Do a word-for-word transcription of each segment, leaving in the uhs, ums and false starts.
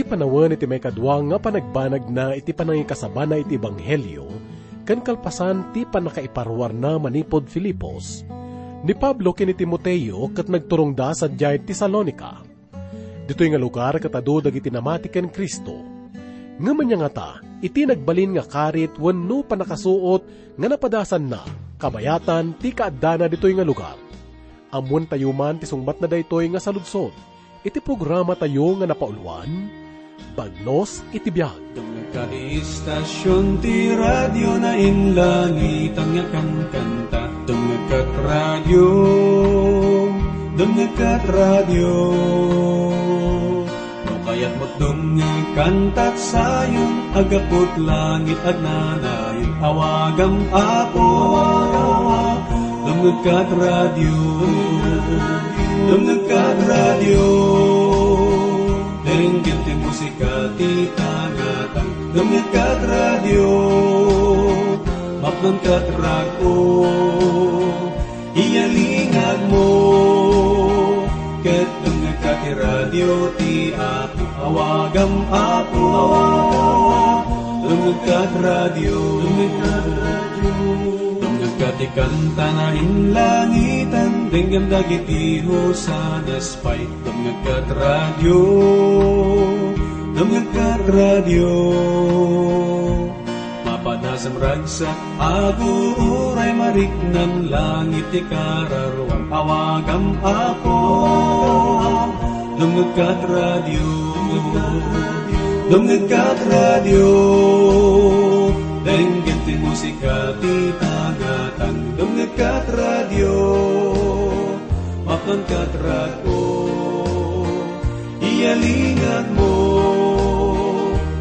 Panawen iti maikadua nga panagbanagna iti panangikasabana iti ebanghelio ken kalpasan ti pannakaiparuarna manipud Filipos, ni Pablo ken ni Timoteo ket nagturongda sadiay Tesalonica. Ditoy nga lugar ket adu dagiti namati ken Cristo. Ngem ania ngata iti nagbalin nga karit wenno pannakasuot nga napadasanna kabayatan ti kaaddana ditoy nga lugar? Ammoentayo man ti sungbatna daytoy nga saludsod iti programatayo nga napauluan, Bagnos iti Biag. Dumngegka ti istasyon ti radio na inlangitan nga kankanta. Dumngegka ti radio, dumngegka ti radio. No kayatmo dumngeg kantat sayon, aggapu ti langit agnanayon, awagam Apo. Dumngegka ti radio, dumngegka ti radio. Denggem ti musika ti tangatang. Dumngegka ti radio, mapnonka ti rag-o. Iyalingagmo, ket dumngegka ti radio ti Apo. Awagam Apo, dumngegka ti radio. Dumngegka ti kanta na inlangitan, denggem dagiti hosanas pay. Dumngegka ti radio, dumngegka ti radio. Mapadasam ragsak, aguray mariknam, langit ti kararuam, awagam Apo. Dumngegka ti radio, dumngegka ti radio. Denggem ti musika ti tangatang. Dumngegka ti radio, mapnonka ti rag-o. Iyalingagmo,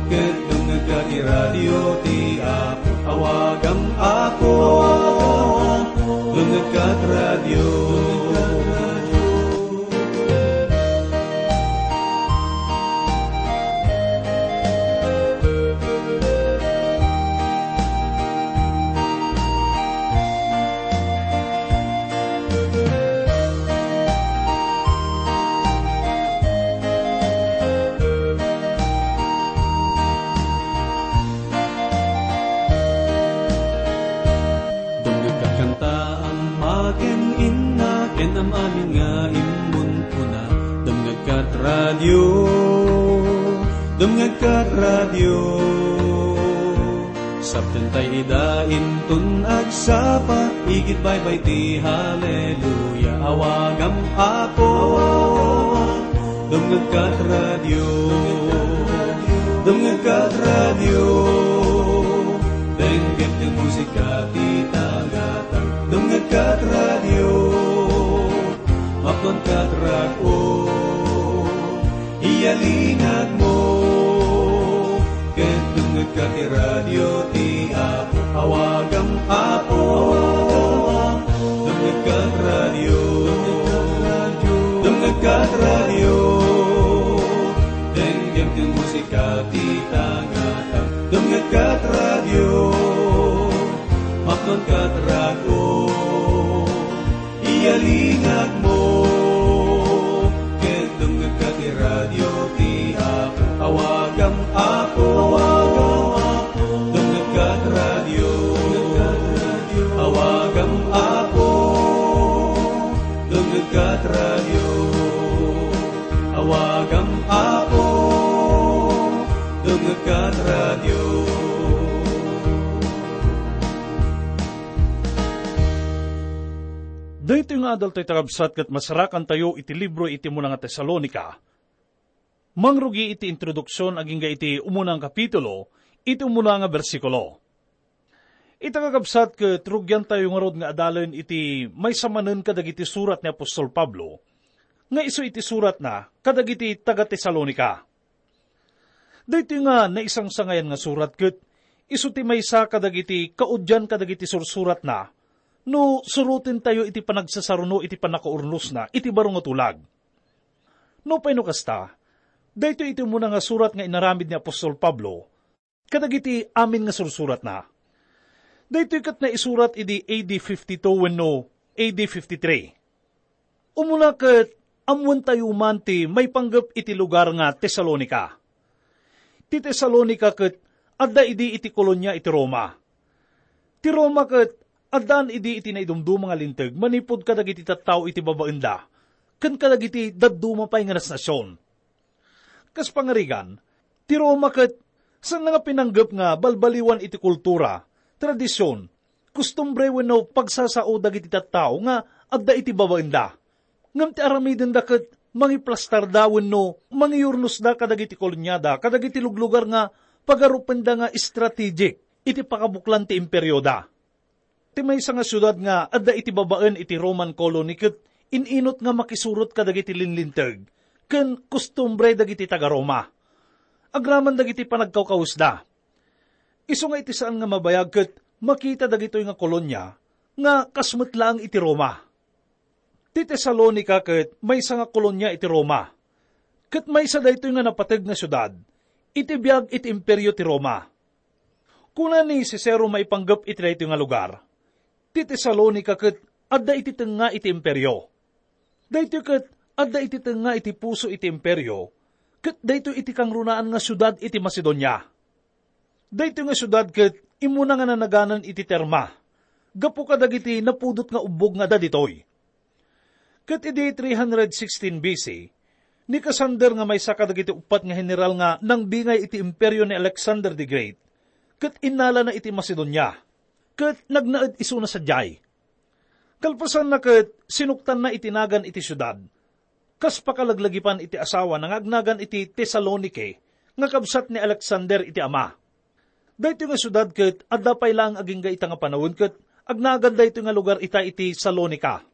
ket dumngegka ti radio ti Apo. Awagam Apo, dumngegka ti radio. Dumngegka ti kanta, ama ken inna, ken am-amin nga immunkuna. Dumngegka ti radio, dumngegka ti radio. Saptentay ida inton agsapa, igid baybay ti haleluya, awagam Apo. Dumngegka ti radio, dumngegka ti radio. Denggem ti musika ti tangatang. Dumngegka ti radio, mapnonka ti rag-o. Iyalingagmo, ket dumngegka ti radio ti Apo. Awagam Apo, dumngegka ti radio, dumngegka ti radio. Denggem ti musika ti tangatang. Dumngegka ti radio, mapnonka ti rag-o. Iyalingagmo, ket dumngegka ti radio ti Apo. Awagam Apo, dumngegka ti radio, awagam Apo, dumngegka ti radio, awagam Apo, dumngegka ti radio. Daytoy nga adaltayo, kakabsat, ket masarakantayo iti libro iti umuna nga Tesalonica. Mangrugi iti introduksion agingga iti umuna nga kapitulo, iti umuna nga bersikulo. Ita, kakabsat, ket rugiantayo ngarud nga adalen iti maysa manen kadagiti surat ni apostol Pablo, nga isu iti suratna kadagiti taga-Tesalonica. Daytoy nga naisangsangayan nga surat ket isu ti maysa kadagiti kaudian kadagiti sursuratna no surotentayo iti panagsasaruno iti pannakaurnusna iti baro nga tulag. Nupay no kasta, daytoy iti umuna nga surat nga inaramid ni apostol Pablo kadagiti amin nga sursuratna. Daytoy ket naisurat idi A D fifty-two wenno A D fifty-three. Umuna ket, ammoentayo man ti maipanggep iti lugar nga Tesalonica. Ti Tesalonica ket adda idi iti kolonia iti Roma. Ti Roma ket addaan idi iti naidumduma nga linteg manipud kadagiti tattao iti babaenda ken kadagiti dadduma pay nga nasnasion. Kas pangarigan, ti Roma ket saan nga pinanggep nga balbaliwan iti kultura, tradision, kustumbre wenno pagsasao dagiti tattao nga adda iti babaenda. Ngem ti aramidenda ket mangiplastarda wenno mangiyurnosda kadagiti koloniada kadagiti luglugar nga pagarupenda nga strategic iti pakabuklan ti imperioda. Ti maysa nga siudad nga adda iti babaen iti Roman colony ket in-inut nga makisurot kadagiti linlinteg ken kustumbre dagiti taga-Roma. Agraman dagiti panagkawkawesda. Isu nga iti saan nga mabayag ket makita dagitoy nga kolonia nga kas met laeng iti Roma. Ti Tesalonica ket maysa nga kolonia iti Roma, ket maysa daytoy nga napateg nga siudad iti biag iti Imperio ti Roma. Kuna ni Cicero maipanggep iti daytoy nga lugar, ti Tesalonica ket adda iti tengnga iti Imperio. Daytoy ket adda iti tengnga iti puso iti Imperio, ket daytoy iti kangrunaan nga siudad iti Macedonia. Daytoy nga siudad ket immuna nga nanaganan iti terma, gapu kadagiti napudot nga ubbog nga adda ditoy. Ket idi three hundred sixteen B C, ni Cassander nga maysa kadagiti uppat nga heneral nga nangbingay iti imperio ni Alexander the Great, ket innalana iti Macedonia, ket nagnaed isuna sadiay. Kalpasanna ket sinuktanna iti nagan iti siudad, kas pakalaglagipan iti asawana nga agnagan iti Tesalonike nga kabsat ni Alexander iti ama. Daytoy nga siudad ket adda pay laeng agingga ita nga panawen ket agnagan daytoy nga lugar ita iti Salonica.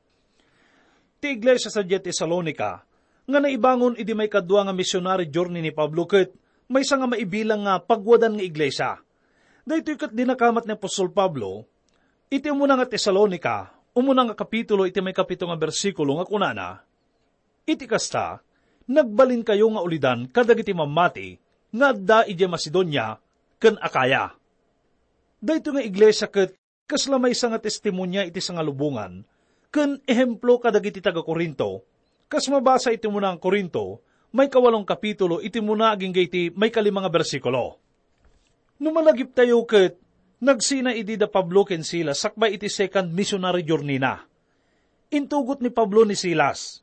Ti iglesia sadiay Tesalonica nga naibangon idi maikadua nga missionary journey ni Pablo ket maysa nga maibilang nga pagwadan nga iglesia. Daytoy ket dinakamat ni apostol Pablo iti umuna nga Tesalonica, umuna nga kapitulo iti maikapito nga bersikulo nga kunana, "Iti kasta, nagbalinkayo nga ulidan kadagiti mammati nga adda idiay Macedonia ken Acaya." Daytoy nga iglesia ket kasla maysa nga testimonia iti sangalubongan ken ehemplo kadagiti taga-Corinto, kas mabasa iti umuna nga Corinto, maikawalong kapitulo iti umuna agingga iti maikalima nga bersikulo. No malagiptayo ket, nagsina idi da Pablo ken Silas sakbay iti second missionary journey-na. Intugot ni Pablo ni Silas.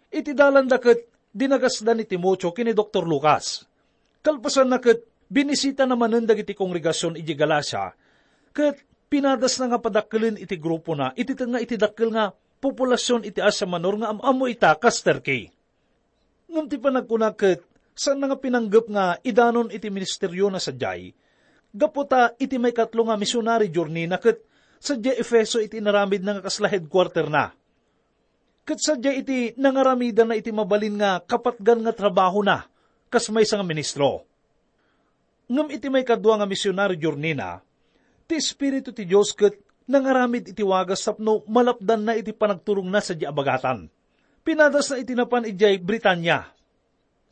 Iti dalanda ket dinagasda ni Timoteo ken ni Doktor Lucas. Kalpasanna ket binisitana manen dagiti kongregasion idiay Galacia, ket pinadasna nga padakkelen iti grupona iti tengnga iti dakkel nga populasion iti Asia Minor nga am-ammo ita kas Turkey. Ngem ti panagkuna ket saanna nga pinanggep nga idanon iti ministeriona sadiay, gapu ta iti maikatlo nga missionary journey-na ket sadiay Efeso iti inaramidna nga kasla headquarter-na. Ket sadiay iti nangaramidanna iti mabalin nga kapatgan nga trabahona kas maysa nga ministro. Ngem iti maikadua nga misionary journey-na, ti Espiritu ti Dios ket nangaramid iti wagas tapno malapdanna iti panagturongna sadiay a bagatan. Pinadasna iti napan idiay Britania.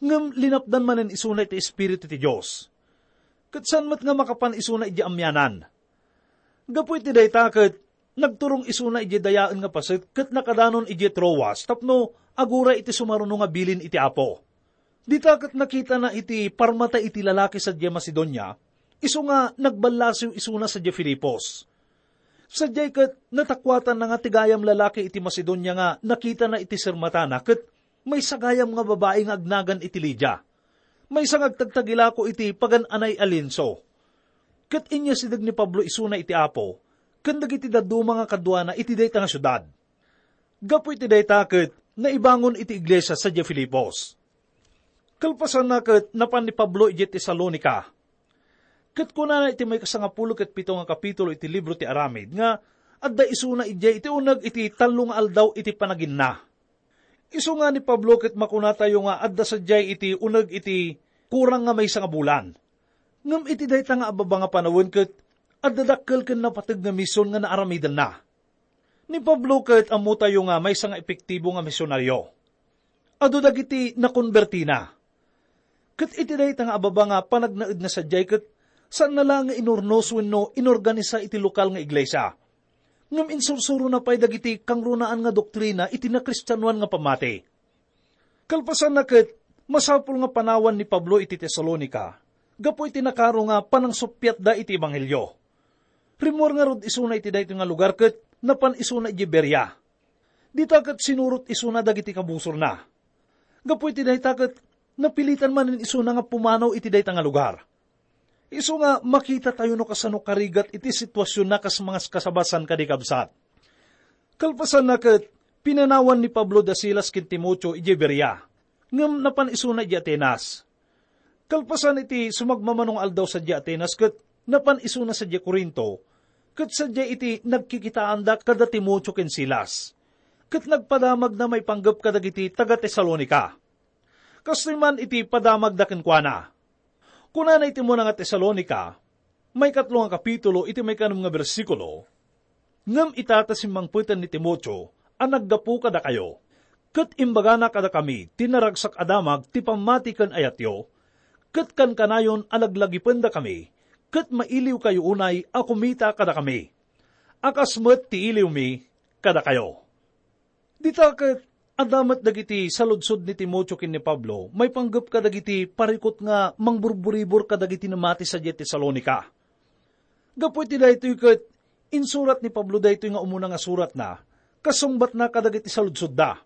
Ngem linapdan manen isuna iti Espiritu ti Dios. Ket saan met nga makapan isuna idiay amianan. Gapu iti dayta ket nagturong isuna idiay dayaen nga paset ket nakadanon idiay Troas tapno aguray iti sumaruno nga bilin iti Apo. Dita ket nakitana iti parmata iti lalaki sadiay Macedonia, isu nga nagballasiw isuna sadiay Filipos. Sadiay ket natakuatanna nga ti gayam lalaki iti Macedonia nga nakitana iti sermatana ket maysa gayam nga babai nga agnagan iti Lidia. Maysa nga agtagtagilako iti pagan-anay a lienso. Ket inyasideg ni Pablo isuna iti Apo ken dagiti dadduma nga kaduana iti dayta nga siudad. Gapu iti dayta ket naibangon iti iglesia sadiay Filipos. Kalpasanna ket napan ni Pablo idiay Tesalonica. Ket kunana iti maikasangapulo ket pito nga kapitulo iti libro ti Aramid nga adda isuna idiay iti uneg iti tallo nga aldaw iti panaginna. Isu nga ni Pablo ket makunatayo nga adda sadiay iti uneg iti kurang nga maysa nga bulan. Ngem iti dayta nga ababa nga panawen ket adda dakkel ken napateg nga mision nga naaramidenna. Ni Pablo ket ammotayo nga maysa nga epektibo nga misionaryo. Adu dagiti nakonbertina. Ket iti dayta nga ababa nga panagnaedna sadiay ket saanna laeng nga inurnos wenno inorganisa iti lokal nga iglesia. Ngem insursurona pay dagiti kangrunaan nga doktrina iti nakristianoan nga pammati. Kalpasanna ket, masapul nga panawan ni Pablo iti Tesalonica, gapu iti nakaro nga panangsuppiatda iti ebanghelio. Rimmuar ngarud isuna iti daytoy nga lugar ket napan isuna idiay Berea. Dita ket sinurot isuna dagiti kabusorna. Gapu iti dayta ket napilitan manen isuna nga pumanaw iti dayta nga lugar. Isu nga makitatayo no kasano karigat iti situasionna kas mangaskasaba saan kadi, kabsat. Kalpasanna ket, pinanawan ni Pablo da Silas ken Timoteo idiay Berea, ngem napan isuna idiay Atenas. Kalpasan iti sumagmamano nga aldaw sadiay Atenas ket napan isuna sadiay Corinto, ket sadiay iti nagkikitaanda kada Timoteo ken Silas, ket nagpadamagna maipanggep kadagiti taga-Tesalonica. Kastoy man iti padamagda kenkuana. Kunana iti umuna nga Tesalonica, maikatlo nga kapitulo, iti maikanem nga bersikulo, "Ngem ita ta simmangpeten ni Timoteo a naggapu kadakayo, ket imbagana kadakami ti naragsak a damag ti pammati ken ayatyo, ket kankanayon a laglagipendakami, ket mailiwkayo unay a kumita kadakami, a kas met ti iliwmi kadakayo." Dita ket, adda met dagiti saludsod ni Timoteo ken ni Pablo maipanggep kadagiti parikut nga mangburburibor kadagiti namati sadiay Tesalonica. Gapu iti daytoy ket, insurat ni Pablo daytoy nga umuna nga suratna, kasungbatna kadagiti saludsodda.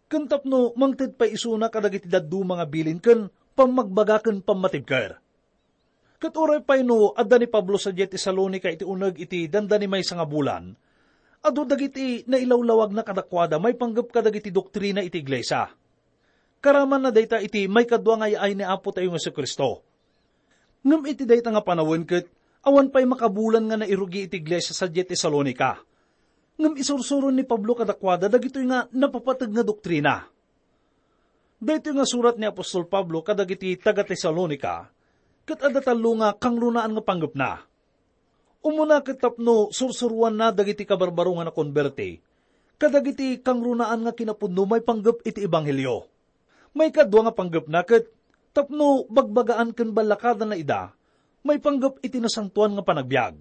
Ken tapno mangted pay isuna kadagiti dadduma nga bilin ken pammagbaga ken pammatibker. Ket uray pay no adda ni Pablo sadiay Tesalonica iti uneg iti dandani maysa nga bulan, adu dagiti nailawlawagna kadakuada maipanggep kadagiti doktrina iti iglesia. Karamanna dayta iti maikadua nga ay-ay ni Apo tayo nga Jesu-Cristo. Ngem iti dayta nga panawen ket, awan pay makabulan nga nairugi iti iglesia sadiay Tesalonica. Ngem isursuron ni Pablo kadakuada dagitoy nga napapateg nga doktrina. Daytoy nga surat ni apostol Pablo kadagiti taga-Tesalonica, ket adda tallo nga kangrunaan nga panggepna. Umuna ket tapno sursuroanna dagiti kabarbaro nga nakonberti, kadagiti kangrunaan nga kinapudno maipanggep iti ebanghelio. Maikadua nga panggepna ket tapno bagbagaan ken ballakadanna ida maipanggep iti nasantoan nga panagbiag.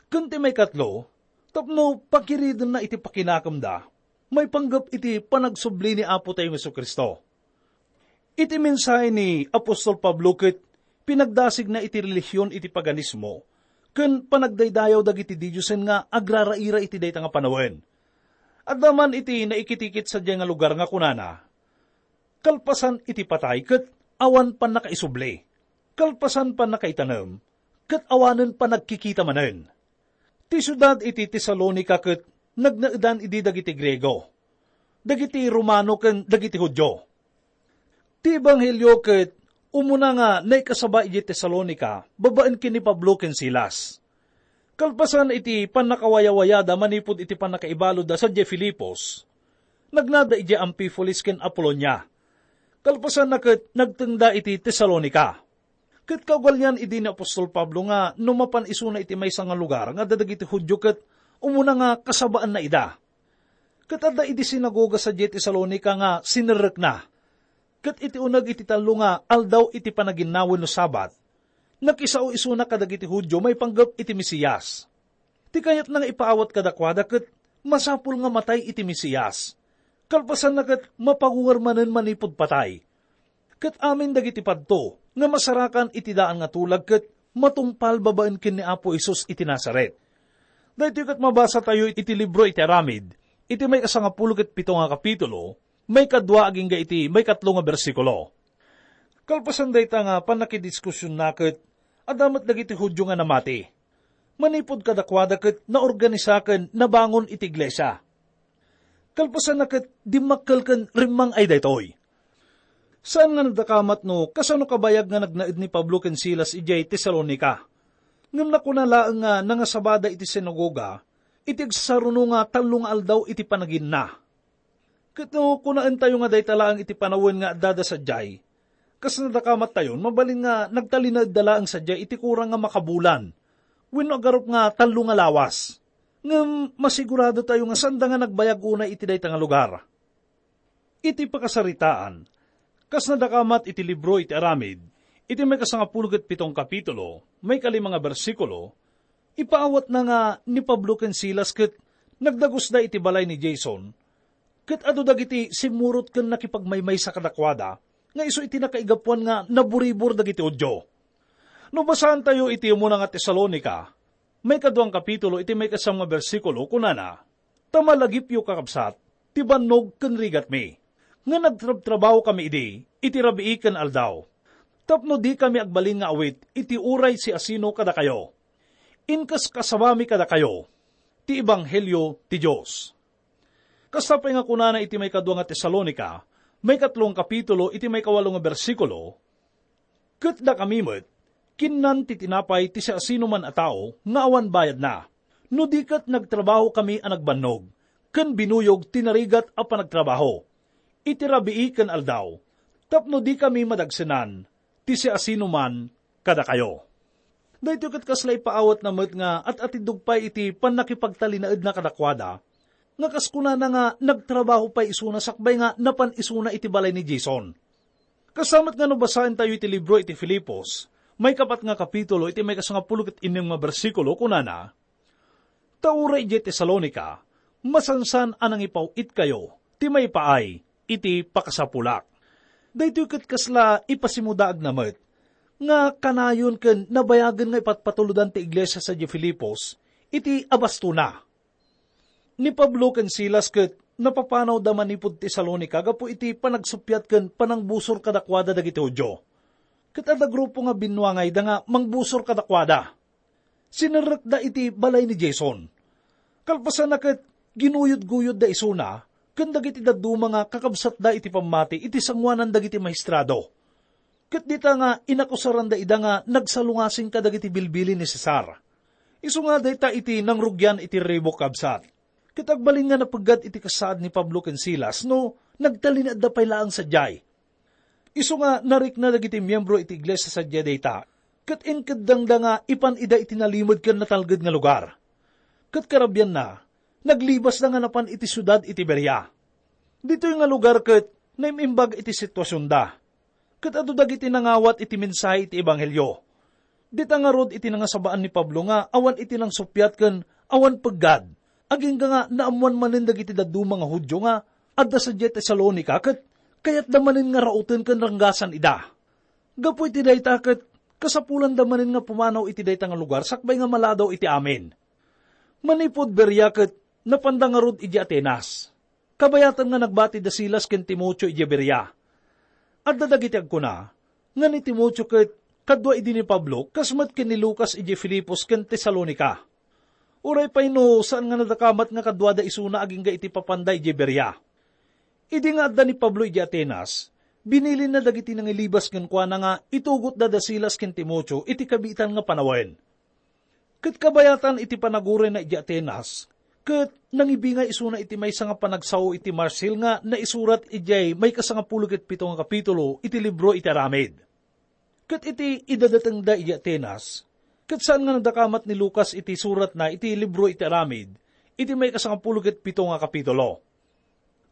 Ken ti maikatlo, tapno pakiridenna iti pakinakemda maipanggep iti panagsubli ni Apo tayo Jesu-Cristo. Iti mensahe ni apostol Pablo ket pinagdasigna iti relihion iti paganismo ken panagdaydayaw dagiti didiosen nga agraraira iti dayta nga panawen. Adda man iti naikitikit sadiay nga lugar nga kunana, "Kalpasan iti patay ket awan pannakaisubli. Kalpasan pannakaitanem ket awanen panagkikita manen." Ti siudad iti Tesalonica ket nagnaedan idi dagiti Griego, dagiti Romano ken dagiti Judio. Ti ebanghelio ket umuna nga naikasaba idiay Tesalonica babaen ken ni Pablo ken Silas. Kalpasan iti pannakawayawayada manipud iti pannakaibaludda sadiay Filipos, nagnada idiay Amfipolis ken Apolonia. Kalpasanna ket nagtengda iti Tesalonica. Ket kaugalian idi ni apostol Pablo nga no mapan isuna iti maysa nga lugar nga adda dagiti Judio ket umuna nga kasabaanna ida. Ket adda idi sinagoga sadiay Tesalonica nga sinerrekna. Ket iti uneg iti tallo nga aldaw iti panaginna wenno Sabat, nakisao isuna kadagiti Judio maipanggep iti Mesias. Ti kayatna nga ipaawat kadakuada ket masapul nga matay iti Mesias. Kalpasanna ket mapagungar manen manipud patay. Ket amin dagiti padto nga masarakan iti daan nga tulag ket matungpal babaen ken ni Apo Jesus iti Nazaret. Daytoy ket mabasatayo iti libro iti Aramid, iti maikasangapulo ket pito nga kapitulo, maikadua agingga iti maikatlo nga bersikulo. Kalpasan dayta nga pannakidiskusionna ket, adda met dagiti Judio nga namati. Manipud kadakuada ket naorganisa ken nabangon iti iglesia. Kalpasanna ket dimmakkel ken rimmang ay daytoy. Saan nga nadakamat no kasano kabayag nga nagnaed ni Pablo ken Silas idiay Tesalonica. Ngem nakuna laeng nga nangasabada iti sinagoga iti agsasaruno nga tallo nga aldaw iti panaginna. Ket no kunaentayo nga dayta laeng iti panawen nga addada sadiay, kas nadakamattayon, mabalin nga nagtalinaedda laeng sadiay iti kurang nga makabulan, wenno agarup nga tallo nga lawas. Ngem masiguradotayo nga saanda nga nagbayag unay iti dayta nga lugar. Iti pakasaritaan, kas nadakamat iti libro iti Aramid, iti maikasangapulo ket pitong kapitulo, maikalima nga bersikulo, ipaawatna nga ni Pablo ken Silas ket nagdagusda iti balay ni Jason, ket adu dagiti simmurot ken nakipagmaymaysa kadakuada nga isu iti nakaigapuan nga naburibor dagiti Judio. No basaentayo iti umuna nga Tesalonica, maikadua nga kapitulo iti maikasam nga bersikulo, kunana, "Ta malagipyo, kakabsat, ti bannog ken rigatmi, nga nagtrabtrabahokami idi iti rabii ken aldaw, tapno dikami agbalin nga awit iti uray siasino kadakayo. Inkaskasabami kadakayo ti ebanghelio ti Dios." Kasta pay nga kunana iti maikadua nga Tesalonica, maikatlo nga kapitulo, iti maikawalo nga bersikulo, "Ket dakami met, kinnan ti tinapay ti siasinoman a tao nga awan bayadna, no di ket nagtrabahokami a nagbannog, ken binuyog ti narigat a panagtrabaho iti rabii ken aldaw, tapno dikami madagsenan ti siasinoman kadakayo." Daytoy ket kasla ipaawatna met nga at-atiddog pay iti pannakipagtalinaedna kadakuada, nga kas kunana nga nagtrabaho pay isuna sakbay nga napan isuna iti balay ni Jason. Kasta met nga no basaentayo iti libro iti Filipos, maikapat nga kapitulo, iti maikasangapulo ket innem nga bersikulo, kunana, "Ta uray idiay Tesalonica, masansan a nangipaw-itkayo ti maipaay iti pakasapulak." Daytoy ket kasla ipasimudaagna met nga kanayon ken nabayagen nga ipatpatulodan ti iglesia sadiay Filipos iti abastona. Ni Pablo ken Silas ket napapanawda manipud Tesalonica gapu iti panagsuppiat ken panangbusor kadakuada dagiti Judio. Ket adda grupo nga binnuangayda nga mangbusor kadakuada. Sinerrekda iti balay ni Jason. Kalpasanna ket ginuyod-guyodda isuna ken dagiti dadduma nga kakabsatda iti pammati iti sangoanan dagiti maestrado. Ket dita nga inakusaranda ida nga nagsalungasing kadagiti bilbilin ni Cesar. Isu nga dayta iti nangrugian iti ribok, kabsat. Ket agbalin nga napeggad iti kasaad ni Pablo ken Silas no nagtalinaedda pay laeng sadiay. Isu nga narikna dagiti miembro iti iglesia sadiay dayta, ket inkeddangda nga ipan ida iti nalimed ken natalged nga lugar. Ket karabianna, naglibasda nga napan iti siudad iti Berea. Ditoy nga lugar ket naim-imbag iti situasionda. Ket adu dagiti nangawat iti mensahe iti ebanghelio. Dita ngarud iti nangasabaan ni Pablo nga awan iti nangsuppiat ken awan peggad, agingga nga naammoan manen dagiti dadduma nga Judio nga adda sadiay Tesalonica ket kayatda manen nga rauten ken ranggasan ida. Gapu iti dayta ket kasapulanda manen nga pumanaw iti dayta nga lugar sakbay nga maladaw iti amin. Manipud Berea ket napanda ngarud idiay Atenas. Kabayatan nga nagbati da Silas ken Timoteo idiay Berea. Adda dagiti agkuna nga ni Timoteo ket kadua idi ni Pablo, kas met ken ni Lucas idiay Filipos ken Tesalonica. Uray pay no saan nga nadakamat nga kaduada isuna agingga iti papanda idiay Berea. Idi nga adda ni Pablo idiay Atenas, binilinna dagiti nangilibas kenkuana nga itugotda da Silas ken Timoteo iti kabiitan nga panawen. Ket kabayatan iti panagurayna idiay Atenas, ket nangibingay isuna iti maysa nga panagsao iti Marsil nga naisurat idiay maikasangapulo ket pito nga kapitulo iti libro iti Aramid. Ket iti idadatengda idiay Atenas, ket saan nga nadakamat ni Lucas iti suratna iti libro iti Aramid, iti maikasangapulo ket pito nga kapitulo.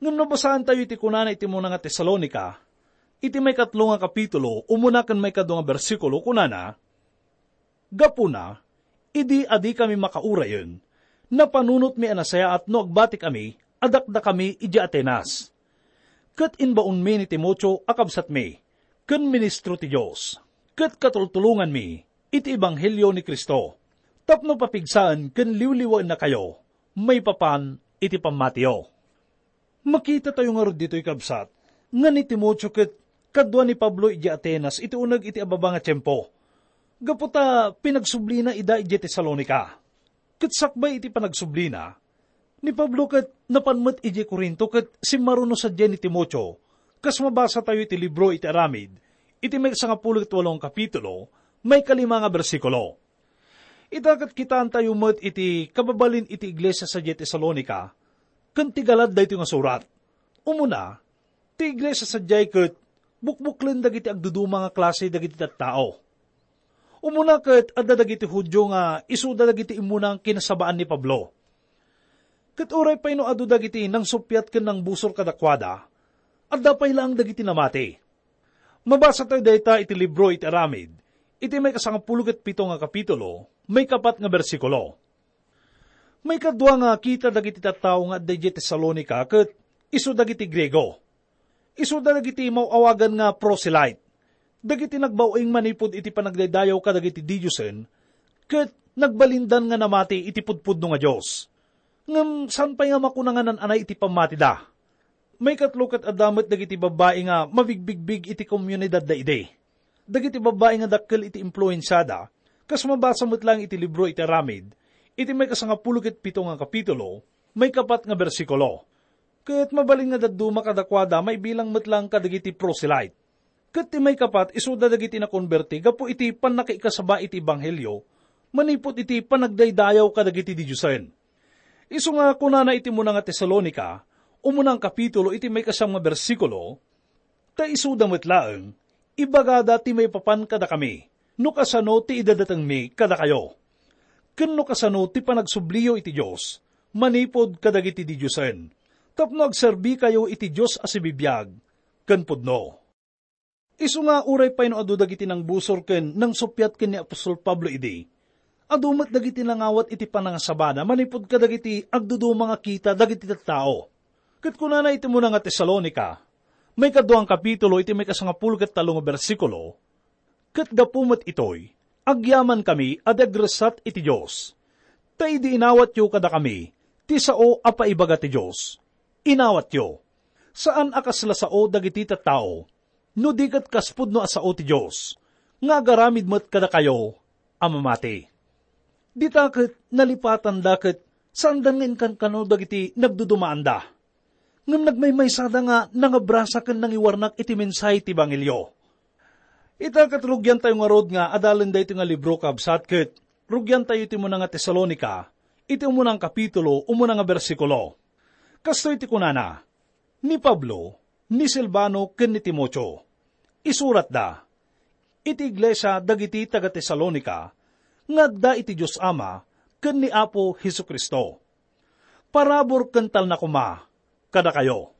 Ngem no basaentayo iti kunana iti umuna nga Tesalonica, iti maikatlo nga kapitulo, umuna ken maikadua nga bersikulo, kunana, "Gapuna, idi a dikami makaurayen, napanunotmi a nasayaat no agbatikami a dakdakami idiay Atenas. Ket imbaonmi ni Timoteo a kabsatmi, ken ministro ti Dios, ket katultulonganmi iti ebanghelio ni Cristo, tapno papigsaen ken liwliwaennakayo maipapan iti pammatiyo." Makitatayo ngarud ditoy, kabsat, nga ni Timoteo ket kadua ni Pablo idiay Atenas iti uneg iti ababa nga tiempo, gapu ta pinagsublina ida idiay Tesalonica. Ket sakbay iti panagsublina, ni Pablo ket napan met idiay Corinto ket simmaruno sadiay ni Timoteo, kas mabasatayo iti libro iti Aramid, iti maikasangapulo ket walo nga kapitulo, maikalima nga bersikulo. Ita ket kitaentayo met iti kababalin iti iglesia sadiay Tesalonica ken ti galad daytoy nga surat. Umuna, ti iglesia sadiay ket bukbuklen dagiti agduduma nga klase dagiti tattao. Umuna ket adda dagiti Judio nga isuda dagiti immuna nga kinasabaan ni Pablo. Ket uray pay no adu dagiti nangsuppiat ken nangbusor kadakuada, adda pay laeng dagiti namati. Mabasatayo dayta iti libro iti Aramid, iti maikasangapulo ket pito nga kapitulo, maikapat nga bersikulo. Maikadua nga kita dagiti tattao nga adda idiay Tesalonica ket isu dagiti Griego. Isuda dagiti maaw-awagan nga proselyte. Dagiti nagbabain manipud iti panagdaydayaw kadagiti didiosen, ket nagbalindan nga namati iti pudpudno nga Dios. Ngem saan pay nga makuna nga nan-anay iti pammatida. Maikatlo ket adda met dagiti babbai nga mabigbigbig iti komunidadda idi. Dagiti babbai nga dakkel iti impluensiada, kas mabasa met laeng iti libro iti Aramid, iti maikasangapulo ket pito nga kapitulo, maikapat nga bersikulo. Ket mabalin nga dadduma kadakuada maibilang met laeng kadagiti proselyte. Ket ti maikapat, isuda dagiti nakonberti gapu iti pannakaikasaba iti ebanghelio manipud iti panagdaydayaw kadagiti didiosen. Isu nga kunana iti umuna nga Tesalonica, umuna nga kapitulo iti maikasiam nga bersikulo, ta isuda met laeng, ibagada ti maipapan kadakami, no kasano ti idadatengmi kadakayo, ken no kasano ti panagsubliyo iti Dios manipud kadagiti didiosen, tapno agserbikayo iti Dios a sibibiag ken pudno. Isu nga uray pay no adu dagiti nangbusor ken nangsuppiat ken ni apostol Pablo idi, adu met dagiti nangawat iti panangasabana manipud kadagiti agduduma nga kita dagiti tattao. Ket kunana iti umuna nga Tesalonica, maikadua nga kapitulo iti maikasangapulo ket tallo nga bersikulo, "Ket gapu met itoy, agyamankami a di agressat iti Dios. Ta idi inawatyo kadakami ti sao a paibaga ti Dios, inawatyo, saan a kasla sao dagiti tattao, no di ket kas pudno a sao ti Dios, nga agaramid met kadakayo a mamati." Dita ket nalipatanda ket saanda nga inkankano dagiti nagdudumaanda. Ngem nagmaymaysada nga nangabrasa ken nangiwarnak iti mensahe ti ebanghelio. Ita ket rugiantayo ngarud nga adalen daytoy nga libro, kabsat, ket rugiantayo iti umuna nga Tesalonica, iti umuna nga kapitulo, umuna nga bersikulo. Kastoy ti kunana, "Ni Pablo, ni Silvano, ken ni Timoteo, isuratda iti iglesia dagiti taga-Tesalonica nga adda iti Dios Ama ken ni Apo Jesu-Cristo. Parabur ken talna koma kadakayo."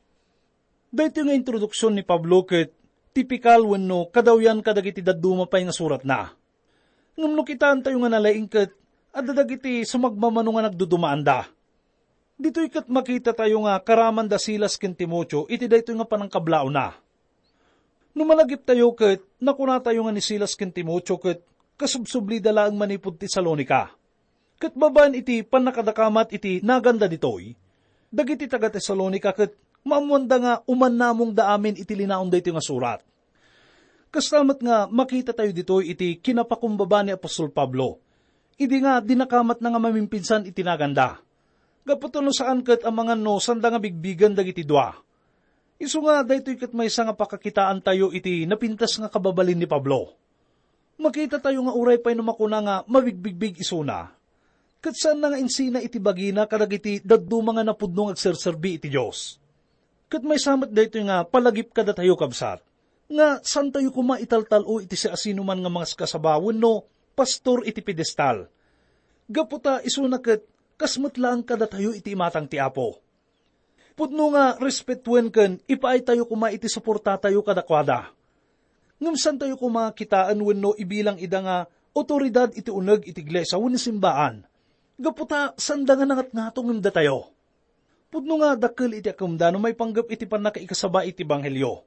Daytoy nga introduksion ni Pablo ket tipikal wenno kadawyan kadagiti dadduma pay nga suratna. Ngem no kitaentayo nga nalaing ket adda dagiti sumagmamano nga nagdudumaanda. Ditoy ket makitatayo nga karaman da Silas ken Timoteo iti daytoy nga panangkablaawna. No malagiptayo ket nakunatayo nga ni Silas ken Timoteo ket kasubsublida laeng manipud Tesalonica. Ket babaen iti pannakadakamat iti naganda ditoy, dagiti taga-Tesalonica ket maammoanda nga umannamongda amin iti linaon daytoy nga surat. Kasta met nga makitatayo ditoy iti kinapakumbaba ni apostol Pablo, idi nga dinakamatna nga mamimpinsan iti naganda. Gapu ta no saan ket amangan no sanda nga bigbigen dagiti dua. Isu nga daytoy ket maysa nga pakakitaantayo iti napintas nga kababalin ni Pablo. Makitatayo nga uray pay no makuna nga mabigbigbig isuna, ket saanna nga insina iti bagina kadagiti dadduma nga napudno nga agserserbi iti Dios. Ket maysa met daytoy nga palagip kadatayo, kabsat, nga saantayo koma italtal-o iti siasinoman nga mangaskasaba wenno pastor iti pedestal, gapu ta isuna ket kas met laeng kadatayo iti imatang ti Apo. Pudno nga respetuen ken ipaaytayo koma iti suportatayo kadakuada. Ngem saantayo koma kitaen wenno ibilang ida nga awtoridad iti uneg iti iglesia wenno simbaan, gapu ta saanda nga nangatngato ngem datayo. Pudno nga dakkel iti akemda no maipanggep iti pannakaikasaba iti ebanghelio.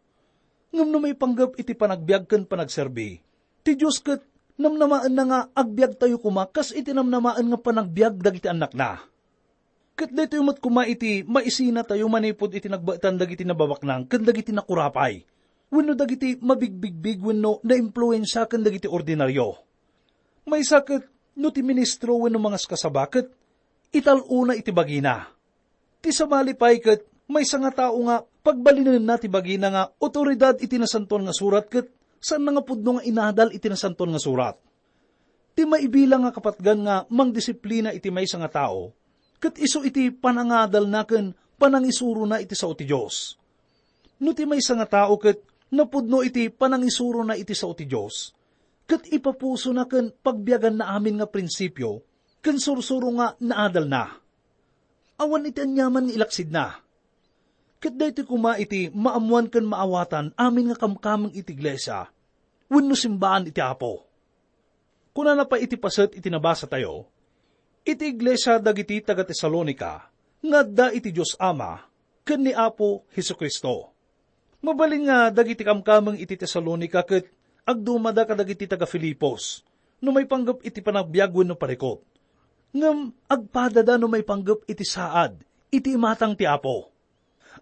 Ngem no maipanggep iti panagbiag ken panagserbi, ti Dios ket namnamaenna nga agbiagtayo koma kas iti namnamaen nga panagbiag dagiti annakna. Ket daytoy met koma iti maisinatayo manipud iti nagbaetan dagiti nababaknang ken dagiti nakurapay, wenno dagiti mabigbigbig wenno naimpluensia ken dagiti ordinario. Maysa ket no ti ministro wenno mangaskasaba ket ital-ona iti bagina. Ti sabali pay ket maysa nga tao nga pagbalinenna ti bagina nga awtoridad iti Nasantoan nga Surat ket saanna nga pudno nga inadal iti Nasantoan nga Surat. Ti maibilang nga kapatgan nga mangdisiplina iti maysa nga tao, ket isu iti panangadalna ken panangisurona iti sao ti Dios. No ti maysa nga tao ket napudno iti panangisurona iti sao ti Dios, ket ipapusona ken pagbiaganna amin nga prinsipio ken sursuro nga naadalna. Awan iti aniaman nga ilaksidna. Ket daytoy koma iti maammoan ken maawatan amin nga kamkameng iti iglesia wenno simbaan iti Apo. Kunana pay iti paset iti nabasatayo, iti iglesia dagiti taga-Tesalonica nga adda iti Dios Ama ken ni Apo Jesu-Cristo. Mabalin nga dagiti kamkameng iti Tesalonica ket Agdumada kadagiti taga-Filipos no maipanggep iti panagbiag wenno parikut. Ngem agpadada no maipanggep iti saad iti imatang ti Apo.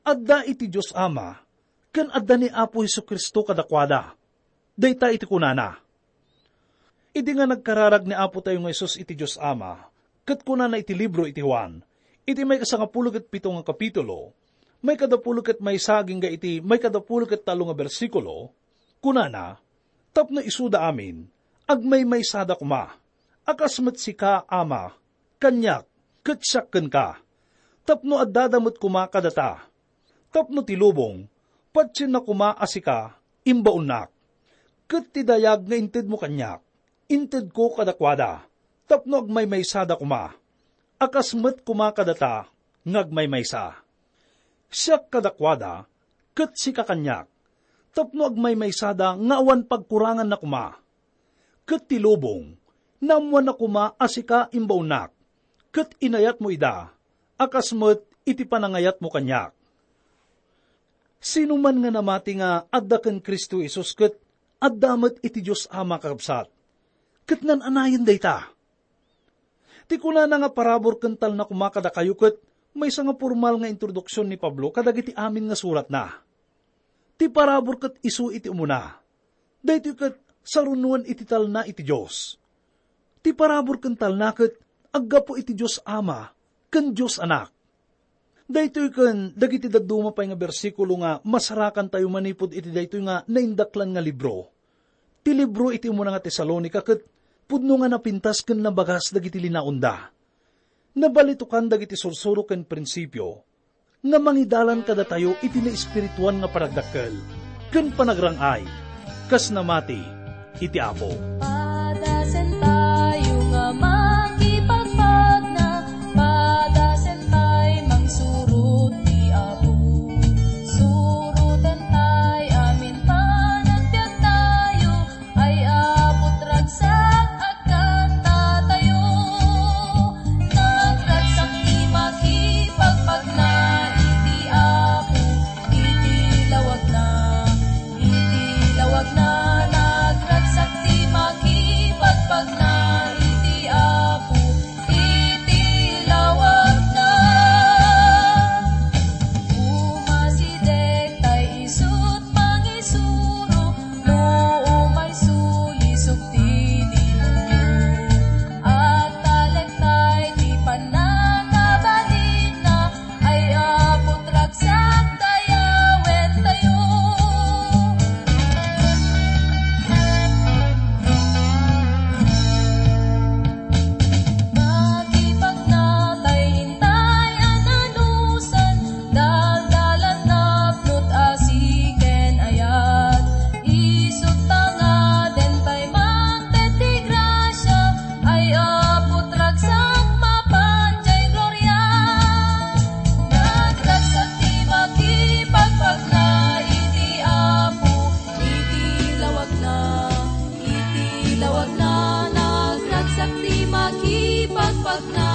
Adda iti Dios Ama, ken adda ni Apo Jesu-Cristo kadakuada. Dayta iti kunana. Idi nga nagkararag ni Apotayo nga Jesus iti Dios Ama, ket kunana iti libro iti Juan, iti maikasangapulo ket pito nga kapitulo, maikadapulo ket maysa agingga iti maikadapulo ket tallo nga bersikulo, kunana, "Tapno isuda amin, agmaymaysada koma, a kas met sika, Ama, kaniak, ket siak kenka, tapno addada met koma kadata, tapno ti lubong, patienna koma a sika, imbaonnak, ket ti dayag nga intedmo kaniak, intedko kadakuada, tapno agmaymaysada koma, a kas met koma kadata nga agmaymaysa. Siak kadakuada, ket sika kaniak, tapno agmaymaysada nga awan pagkuranganna koma. Ket ti lubong, naammoanna koma a sika imbaonnak, ket inayatmo ida, a kas met iti panangayatmo kaniak." Sino man nga namati nga adda ken Cristo Jesus ket adda met iti Dios Ama, kakabsat, ket nan-anayen dayta. Ti kunana nga parabur ken talna koma kadakayo ket maysa nga pormal nga introduksion ni Pablo kadagiti amin nga suratna. Ti parabur ket isu iti umuna. Daytoy ket sarunoen iti talna iti Dios. Ti parabur ken talna ket aggapu iti Dios Ama ken Dios Anak. Daytoy ken dagiti dadduma pay nga bersikulo nga masarakantayo manipud iti daytoy nga naindaklan nga libro. Ti libro iti umuna nga Tesalonica ket pudno nga napintas ken nabagas dagiti linaonda. Nabalitokan dagiti sursuro ken prinsipio nga mangidalan kadatayo iti naespirituan nga panagdakkel ken panagrang-ay, kas namati iti Apo. Padasentayo nga makipagpagna, padasentay mangsurot ti Apo. Surotentay amin panagbiagtayo, ay Apo, ragsak agkantatayo. Nagragsak ti makipagpagna iti Apo, iti lawagna. Iti lawagna, nagragsak ti makipagpagna iti Apo, iti lawagna. Umasideg tay isut mangisuro, no umayso lisog ti demonio. At talek tay ti pannakabalinna, ay Apo, ragsak dayawentayo. Makipagna tay intay a nanusan, daldalan napnot asi ken ayat. Isut ta nga dentay mangted ti grasia, ay Apo, ragsak mapan jay gloria. Nagragsak ti makipagpagna iti Apo, iti lawagna, iti lawagna. Nagragsak ti makipagpagna